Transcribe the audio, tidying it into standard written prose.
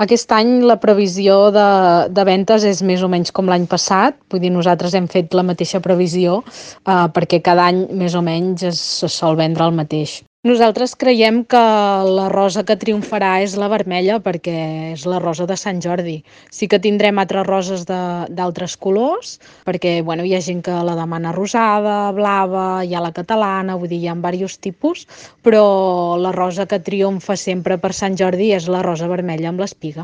Aquest any la previsió de ventes és més o menys com l'any passat, vull dir, nosaltres hem fet la mateixa previsió perquè cada any més o menys se sol vendre el mateix. Nosaltres creiem que la rosa que triomfarà és la vermella perquè és la rosa de Sant Jordi. Sí que tindrem altres roses d'altres colors perquè bueno, hi ha gent que la demana rosada, blava, hi ha la catalana, vull dir, hi ha diversos tipus, però la rosa que triomfa sempre per Sant Jordi és la rosa vermella amb l'espiga.